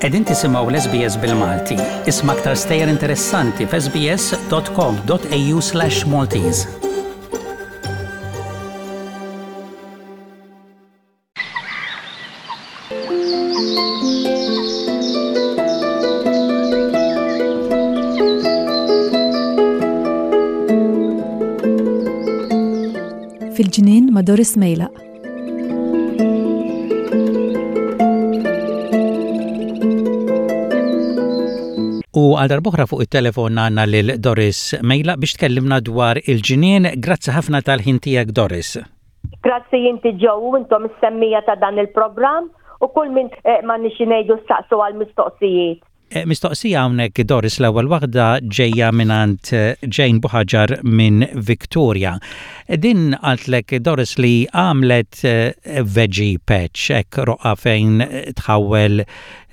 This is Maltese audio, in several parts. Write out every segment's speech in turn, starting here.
Qegħdin tisimgħu l-SBS bil-Malti. Isma' aktar stejjer interessanti f'sbs.com.au/Maltese. Fil-ġnien ma' Doris Mejlaq. U għal darbohra fuq it-telefon għandna lil Doris Mejlaq biex tkellimna dwar il-ġnien. Grazzi ħafna tal-ħin tiegħek Doris. Grazzi inti Joe u intom is-semmija ta' dan il-programm u kull min eh, ma nixi ngħidu staqsu għal mistoqsijiet. Eh, mistoqsija hawnhekk Doris l-ewwel waħda ġejja mingħand eh, Jane Buħaġar minn Victoria. Din qaltlek Doris li għamlet veggie patch hekk roqa fejn tħawwel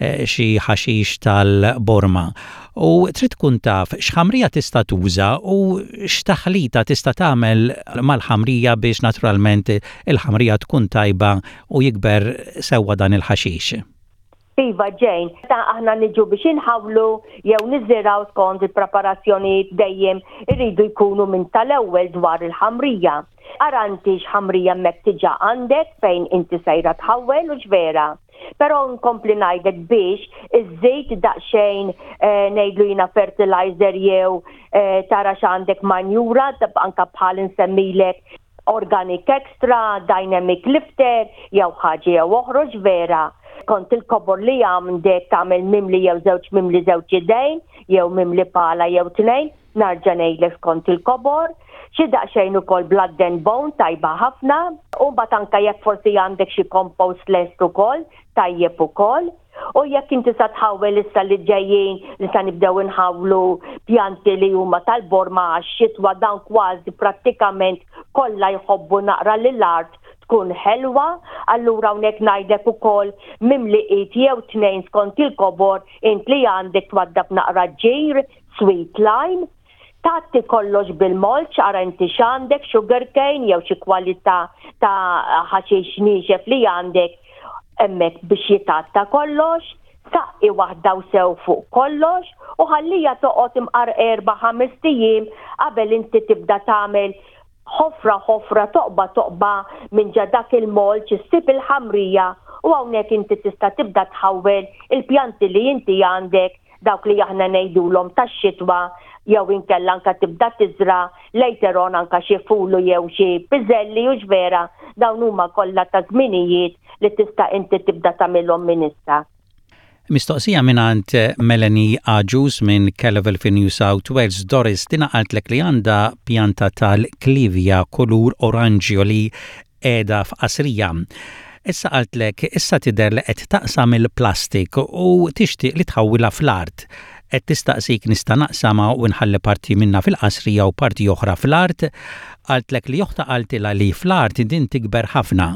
xi ħaxix tal-borma u trid tkun taf x'ħamrija tista' tuża u x'taħlita tista' tagħmel mal-ħamrija biex naturalment il-ħamrija tkun tajba u jikber sewwa dan il-ħaxix. Iva Jane, meta aħna niġu biex inħawlu jew niżirgħu skont il-preparazzjonijiet dejjem iridu jkunu minn tal-ewwel dwar il-ħamrija. Ara inti x'ħamrija hemmhekk diġà għandek fejn inti sejra tħawwel hux vera? Però nkompli ngħidlek biex iżżid daqsxejn eh, ngħidlu jiena fertilizer jew eh, tara x'għandek manjura anka bħal insemmilek organic extra, dynamic lifter, jew ħaġa jew oħroġ vera. Kont il-kobor li għandek tagħmel mimli jew żewġ mimli żewġ idejn, jew mimli pala jew tnejn, Narġa' ngħidlek skont il-kobor, xi daqsxejn ukoll blood and bone tajba ħafna, u mbagħad anke jekk forsi għandek xi compost lest ukoll, tajjeb ukoll. U jekk inti sa tħawwel issa li ġejjin li sa nibdew inħawlu pjanti li huma tal-borma għax-xitwa dawn kważi prattikament kollha jħobbu naqra li l-art tkun ħelwa, allura hawnhekk ngħidlek ukoll mimli id jew tnejn skont il-kobor int li għandek twaddab naqra ġir sweet lime, tgħatti kollox bil-mulch, ara inti x'għandek, sugar cane jew xi kwalità ta' ħaxix niexef li għandek hemmhekk biex jitgħatta kollox, saqqi waħda u sew fuq kollox u ħallija toqgħod imqar erba' ħamest ijiem qabel inti tibda tagħmel ħofra ħofra toqba toqba minn ġa dak il-mulch issib il-ħamrija u hawnhekk inti tista' tibda tħawwel il-pjanti li inti għandek dawk li aħna ngħidulhom tax-xitwa jew inkella anka tibda tiżra' later on anka xi fulu jew xi piżelli hux vera dawn huma kollha ta' żminijiet li tista' inti tibda tagħmilhom minn issa. Mistoqsija mingħand Melanie Agius minn Kellevel fi New South Wales. Doris, dina qaltlek li għandha pjanta tal-klivja kulur oranġjo li qiegħda f'qasrija. Issa qaltlek issa tidher li qed taqsam il-plastik u tixtieq li tħawwilha fl-art. Qed tistaqsik nista' naqsamha u nħalli parti minnha fil-qasrija u parti oħra fl-art? Qaltlek li oħtha qaltilha li fl-art din tikber ħafna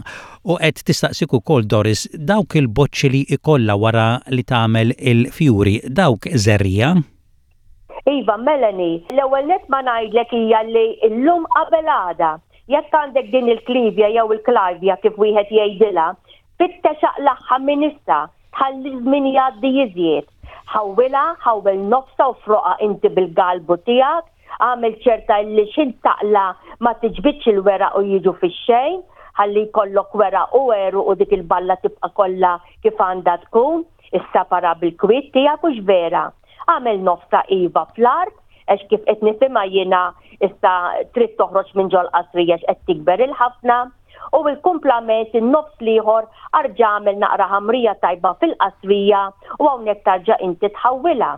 u qed tistaqsik ukoll Doris dawk il-boċċi li jkollha wara li tagħmel il-fjuri dawk żerriegħa? Iva Melanie, l-ewwel nett ma ngħidlek hija li llum qabel għada, jekk għandek din il-klivja jew il-klajvja kif wieħed jgħidilha, Fittex aqlagħha minn issa, tħalli ż-żmien jgħaddi iżjed. Ħawwilha, ħawwel nofsha u froqha inti bil-galbu tiegħek, agħmel ċerta illi x'int taqla' ma tiġbidx il-weraq u jiġu fix-xejn, ħalli jkollok weraq u għeruq u dik il-balla tibqa' kollha kif għandha tkun, issapara bil-kwiet tiegħek hux vera? Agħmel nofsha iva fl-art, għax kif qed nifhimha jiena issa trid toħroġ minn ġol-qasrija għax qed tikber il-ħafna. U l-kumplament in-nofs l-ieħor arġa' agħmel naqra ħamrija tajba fil-qasrija u hawnhekk tarġa' inti tħawwilha.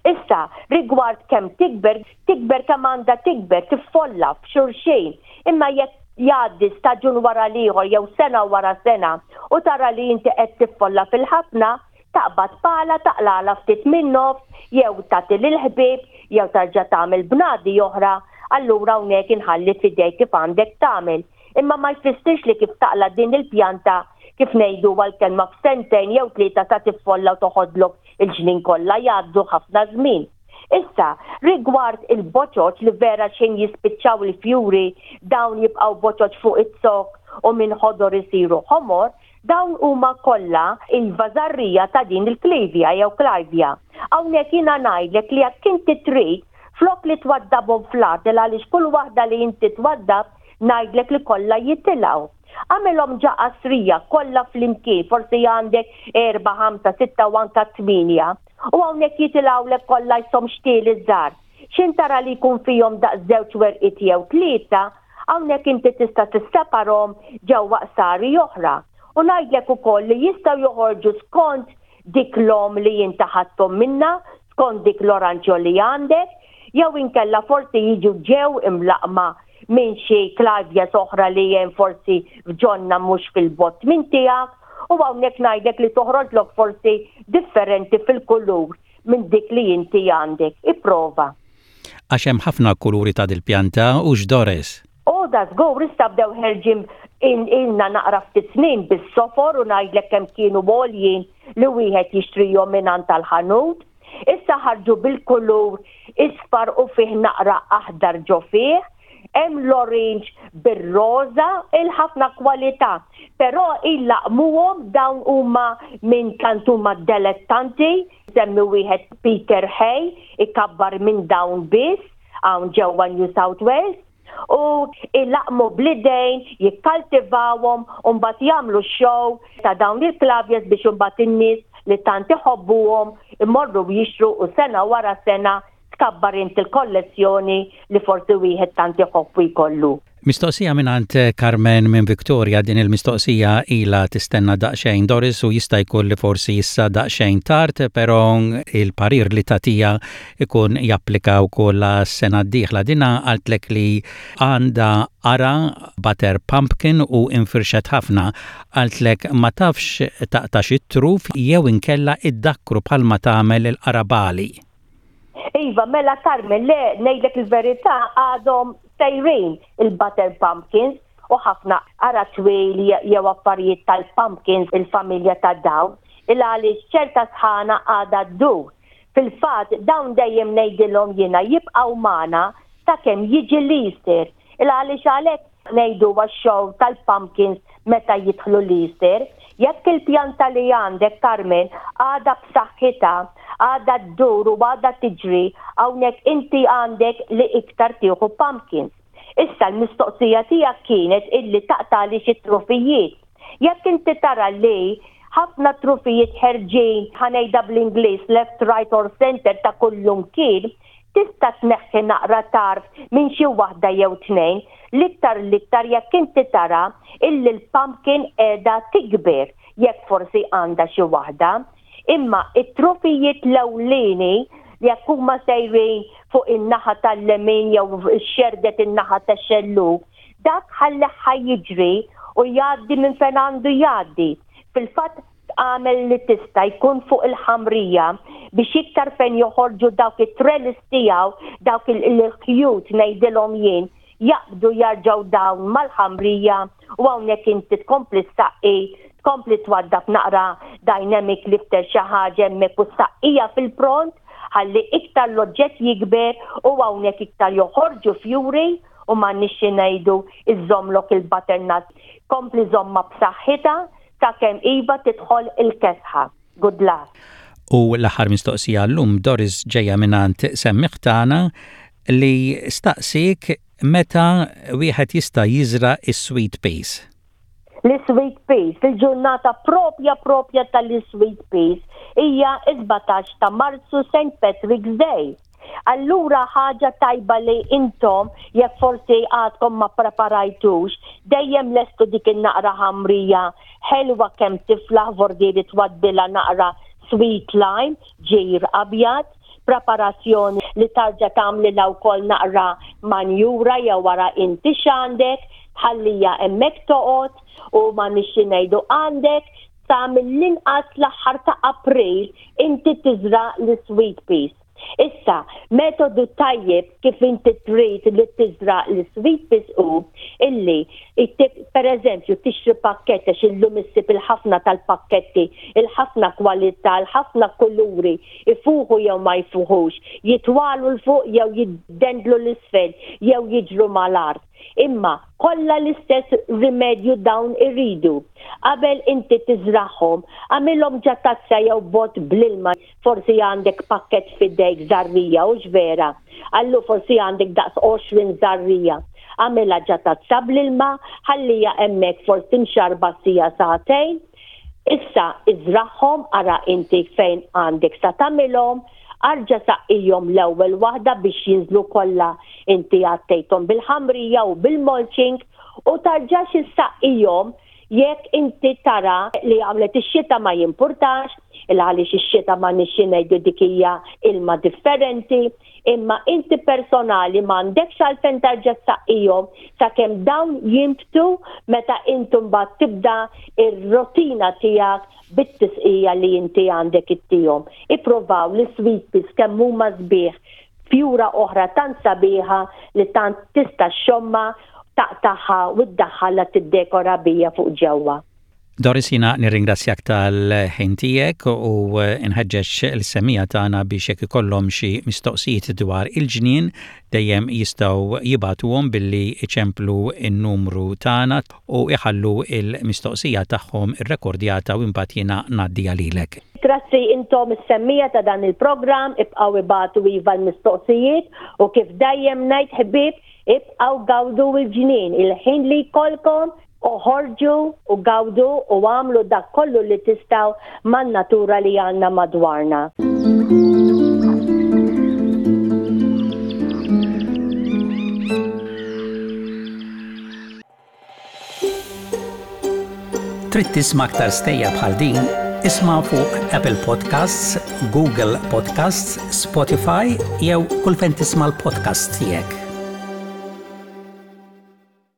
Issa, rigward kemm tikber, tikber kemm għandha tikber, tiffolla f'xulxin. Imma jekk jgħaddi staġun wara l-ieħor jew sena wara sena u tara li inti qed tiffolla fil-ħafna, taqbad pala taqlagħlha ftit min-nofs jew tagħti lill-ħbieb jew tarġa' tagħmel bnadi oħra, allura hawnhekk inħalli f'idejk kif għandek tagħmel. Imma ma jfissirx li kif taqla' din il-pjanta, kif ngħiduha l-kelma f'sentejn jew tlieta sa tiffolla u toħodlok il-ġnien kollha, jgħaddu ħafna żmien. Issa, rigward il-boċoċ li vera x'ħin jispiċċaw il-fjuri dawn jibqgħu boċoċ fuq iz-zokk u minn ħodor isiru ħomor, Dawn huma kollha iva żarrija ta' din il-klivja jew klajvja. Hawnhekk jiena ngħidlek li jekk inti trid, flok li twaddabhom fl-art il għaliex kull waħda li inti twaddab ngħidlek li kollha jitilgħu. Agħmilhom ġa qasrija kollha flimkien, forsi għandek erba', ħamsa, sitta u anke tmienja. U hawnhekk jitilgħulek kollha jsom xtieli żgħar. X'in tara li jkun fihom daqs żewġ werqiet jew tlieta, hawnhekk inti tista' tisseparhom ġewwa qsari oħra. U ngħidlek ukoll li jistgħu joħorġu skont dik l-omm li inti ħadthom minnha, skont dik l-oranġjo li għandek, jew inkella forsi jiġu ġew imlaqqma minn xi clivias oħra li hemm forsi f'ġonna mhux fil-bogħod minn tiegħek, u hawnhekk ngħidlek li toħroġlok forsi differenti fil-kulur minn dik li inti għandek. Ipprova. Għax hemm ħafna kuluri ta' dil-pjanta, hux Doris? O da żgur, issa bdew ħerġin ilna naqra ftit snin bis-sofor u ngħidlek kemm kienu għoljin li wieħed jixtrihom mingħand tal-ħanut. Issa ħarġu bil-kulur isfar u fih naqra aħdar ġo fih. Hemm l-orange bir-roża, il-ħafna kwalità. Però illaqmuhom dawn huma minn tant huma delettanti, semmi wieħed Peter Hay ikabbar minn dawn biss hawn ġewwa New South Wales u ilaqmu bl-idejn, jikkaltivawhom u mbagħad jagħmlu show ta' dawn il-klaviers biex imbagħad in-nies li tant iħobbuhom imorru jixtru u sena wara sena tkabbar int il-kollezzjoni li forsi wieħed tant iħobb u jkollu. Mistoqsija mingħand Carmen minn Victoria, din il-mistoqsija ilha tistenna daqsxejn Doris u jista' jkun li forsi issa daqsxejn tard, però il-parir li tagħtiha ikun japplika wkoll għas-sena d-dieħla. Dinha qaltlek li għandha qara butter pumpkin u infirxet ħafna. Qaltlek ma tafx taqtax it-truf jew inkella iddakkru bħalma tagħmel il-qarabagħli. Iva, mela Carmen, le, ngħidlek il-verità għadhom sejrin il-butter pumpkins u ħafna ara twil jew affarijiet tal-pumpkins il-familja ta' dawn, il għaliex ċerta sħana għadha ddur. Fil-fatt dawn dejjem ngħidilhom jiena jibqgħu magħna sakemm jiġi l-Easter. Il għaliex għalhekk ngħidu għax-show tal-pumpkins meta jidħlu l-Easter. Jekk il-pjanta li għandek, Carmen, għadha b'saħħitha, għadha ddur u għadha tiġri, hawnhekk inti għandek li iktar tieħu pumpkins. Issa l-mistoqsija tiegħek kienet illi taqtagħli xi trufijiet. Jekk inti tara li ħafna trufijiet ħerġin, ħa ngħidha bl-Ingliż, left, right or centre ta' kullumkien, Tista' tneħħi naqra tarf minn xi waħda jew tnejn, l-iktar l-iktar jekk inti tara illi l-pumpkin qiegħda tikber, jekk forsi għandha xi waħda. Imma it-trufijiet l-ewlieni, jekk huma sejrin fuq in-naħa tal-lemin jew xerrdet in-naħa tax-xellug, dak ħallih ħa jiġri u jgħaddi minn fejn għandu jgħaddi. Fil-fatt, Agħmel li tista' jkun fuq il-ħamrija biex iktar fejn joħorġu dawk it-trellis tiegħu, dawk il-ħjut ngħidilhom jien, jaqbdu jarġgħu dawn mal-ħamrija u hawnhekk inti tkompli ssaqqi, tkompli twaddab naqra dynamic lifter xi ħaġa hemmhekk u ssaqqija fil-pront ħalli iktar l-oġġett jikber u hawnhekk iktar joħorġu fjuri u m'għandniex xi ngħidu iżżommlok il-butternut kompli żommha b'saħħitha Sakemm iva tidħol il-kesħa. Good luck. U l-aħħar mistoqsija llum Doris ġejja mingħand semmiegħ tagħna li staqsiek meta wieħed jista' jiżra' s-sweet peas. L-sweet peas, il-ġurnata propja propja tal-sweet peas hija s-17 ta' Marzu St. Patrick's Day. Allura ħaġa tajba li intom jekk forsi għadkom ma ppreparajtux, dejjem lestu dik in-naqra ħamrija ħelwa kemm tiflaħ vordieri twaddilha naqra sweet lime, ġir abjad, preparazzjoni li tarġa' tagħmlilha wkoll naqra manjura jew ara inti x'għandek, tħallija hemmhekk toqgħod u m'għandniex xi ngħidu għandek sa mill-inqas l-aħħar ta' April inti tiżra' l-sweet peas. Issa, metodu tajjeb kif inti trid li tiżra' l-sweet peas hu illi per eżempju tixtri pakkett għax illum issib il-ħafna tal-pakketti, il-ħafna kwalità, il-ħafna kuluri, ifuħu jew ma jfuħux, jitwalu 'l fuq jew jiddendlu 'l isfel jew jiġru mal-art. Imma kollha l-istess rimedju dawn iridu. Qabel inti tiżragħhom, agħmilhom ġa tazza jew bott bl-ilma, forsi għandek pakkett f'idejk żarrija, hux vera? Allu forsi għandek daqs 20 żarrija. Agħmilha ġa tazza bl-ilma, ħalliha hemmhekk forsi mxarrba siegħa sagħtejn. Issa iżragħhom, ara inti fejn għandek sa tagħmilhom, arġa' saqqihom l-ewwel waħda biex jinżlu kollha inti għattejthom bil-ħamrija u bil-mulching u tarġax issaqqihom jekk inti tara li għamlet ix-xita ma jimpurtax, il għaliex ix-xita ma nixxi ngħidu dik hija ilma differenti, imma inti personali m'għandekx għalfejn tarġa' ssaqqihom sakemm dawn jinbtu meta inti mbagħad tibda r-rutina tiegħek bit-tisqija li inti għandek ittihom. Ippruvaw l-sweet peas kemm huma sbieħ fjura oħra tant sabiħa li tant tista' xxommha, taqtagħha u ddaħħalha tiddekora bija fuq ġewwa. Doris jiena nirringrazzjak tal-ħin tiegħek u nħeġġeġ l-semmiegħa tagħna biex jekk ikollhom xi mistoqsijiet dwar il-ġnien dejjem jistgħu jibagħtuhom billi jċemplu n-numru tagħna u jħallu l-mistoqsija tagħhom irrekordjata u imbagħad jiena ngħaddiha lilek. Grazzi intom is-semmiegħa ta' dan il-programm, ibqgħu ibagħtu iva l-mistoqsijiet u kif dejjem ngħid ħbieb, ibqgħu gawdu l-ġnien, il-ħin li jkollkom oħorġu u gawdu u agħmlu dak kollu li tistgħu man-natura li għandna madwarna. Trid tisma' aktar stejjer bħal din? Isma' fuq Apple Podcasts, Google Podcasts, Spotify jew kull fejn tisma' l-podcasts tiegħek.